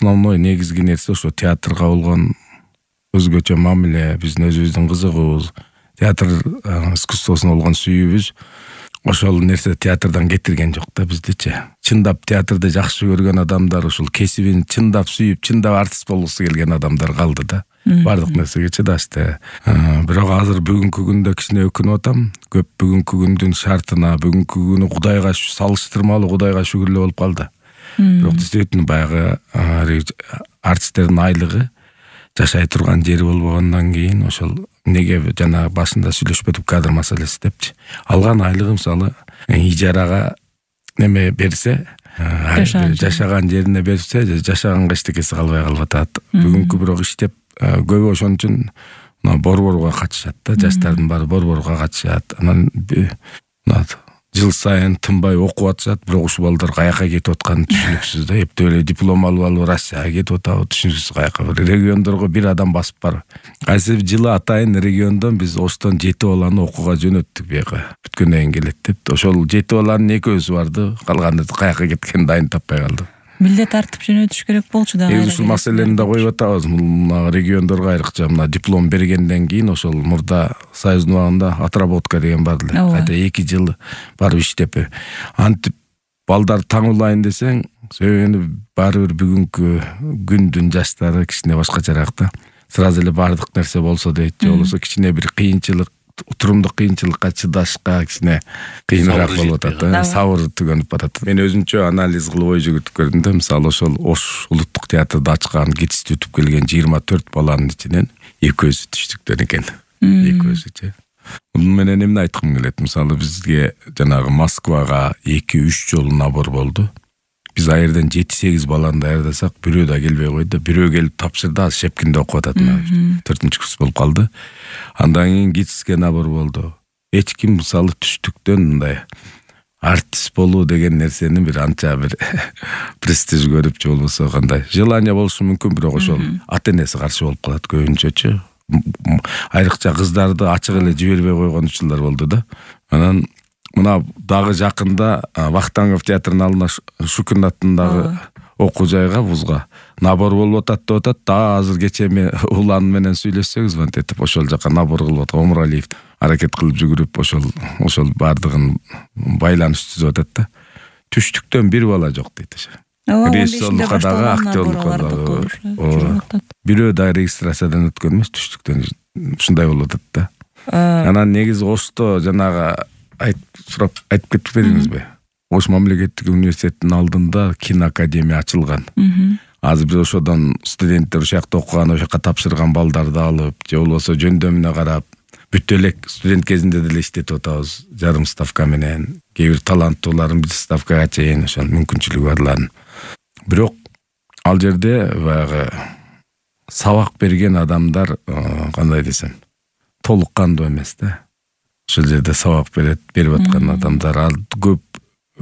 основной негизги нерсе ошо театрга болгон өзгөчө мамиле, биздин өзүбүздүн кызыгуубуз, театр искусствосуна болгон сүйүүбүз ошол нерсе театрдан кетирген жок да биздичи. Чындап театрды жакшы көргөн адамдар, ушул кесибин чындап сүйүп, чындап артист болгусу келген адамдар калды да. Бардык нерсеге чыдашты. Бирок азыр бүгүнкү күндө кичине өкүнүп атам. Көп бүгүнкү күндүн шартына, бүгүнкү күнү Кудайга салыштырмалуу Кудайга шүгүрлөө болуп калды. Бирок действительно баягы артисттердин айлыгы жашай турган жери болбогондон кийин ошол неге жана башында сүйлөшпөдүк кадр маселеси депчи. Алган айлыгы мисалы ижарага неме берсе, жашаган жерине берсе, жашаганга эчтекеси калбай калып атат. Бүгүнкү бирок иштеп көбү ошон үчүн борборго катышат да, жаштардын баары борборго катышат. Анан жыл сайын тынбай окуп атышат, бирок ушул балдар каяка кетип атканы түшүнүксүз да. Эптеп эле диплом алып Россияга кетип атабы, түшүнүксүз каяка. Региондорго бир адам басып бар. Кайсы жылы атайын региондон биз Оштон 7 баланы окууга жөнөттүк бияка. Бүткөндөн кийин келет деп. Ошол 7 баланын экөөсү барды, калганы каяка кеткенин дайын таппай калды. Милдет тартып жөнөтүш керек болчу да. Ушул маселени да коюп атабыз. Региондорго айрыкча мына диплом бергенден кийин ошол мурда союздун убагында отработка деген бар эле. Кайта 2 жыл барып иштеп. Антип балдар таң улайын десең, сөйгөнү баары бир бүгүнкү күндүн жаштары кичине башкачараак да. Сразу эле бардык нерсе болсо дейт, же болбосо кичине бир кыйынчылык, турумдук кыйынчылыкка чыдашка кичине кыйыныраак болуп атат. Сабыр түгөнүп атат. Мен өзүмчө анализ кылып ой жүгүртүп көрдүм да, мисалы ошол Ош улуттук театрды ачкан, кетишти өтүп келген 24 баланын ичинен экөөсү түштүктөр экен. Экөөсүчү. Муну менен эмне айткым келет? Мисалы бизге жанагы Москвага 2-3 жолу набор болду. Биз ал жерден 7-8 баланы даярдасак, бирөө да келбей койду. Бирөө келип тапшырды, азыр Шепкинде окуп атат. 4-курс болуп калды. Андан кийин ГИТИСке набор болду. Эч ким мисалы түштүктөн мындай артист болуу деген нерсени бир анча бир престиж көрүп, же болбосо кандай желание болушу мүмкүн, бирок ошол ата-энеси каршы болуп калат көбүнчөчү. Айрыкча кыздарды ачык эле жибербей койгон учурлар болду да. Анан мына дагы жакында Вахтангов театрынын алдына Шукин аттындагы окуу жайга, вузга набор болуп атат деп атат. Дагы азыр кечээ мен улан менен сүйлөшсөк, звонить этип ошол жака набор кылып аткан Омуралиев аракет кылып жүгүрүп ошол бардыгын байланыш түзүп атат да. Түштүктөн бир бала жок дейт ошо. Режиссерлукка дагы, актерлукка дагы. Бирөө да регистрациядан өткөн эмес, түштүктөн ушундай болуп атат да. Анан негизи Ошто жанагы сурап айтып кетпедиңизби? Ош мамлекеттик университеттин алдында киноакадемия ачылган. Азыр биз ошодон студенттер ошол жакта окуган, ошол жака тапшырган балдарды алып, же болбосо жөндөмүнө карап, бүт эле студент кезинде деле иштетип атабыз, жарым ставка менен. Кээ бир таланттууларын биз ставкага чейин ошол мүмкүнчүлүгү барларын. Бирок ал жерде баягы сабак берген адамдар, кандай десем, толук кандуу эмес да. Ошол жерде сабак берип аткан адамдар, ал көп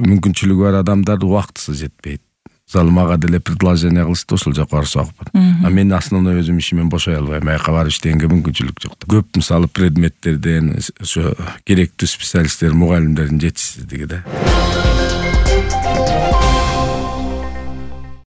мүмкүнчүлүгү бар адамдар убактысы жетпейт. Мисалы мага деле предложение кылышты, ошол жака барсак бар. Мен основной өзүм ишимен бошой албайм, аяка барып иштегенге мүмкүнчүлүк жок. Көп мисалы предметтерден ошо керектүү специалисттер, мугалимдердин жетишсиздиги да.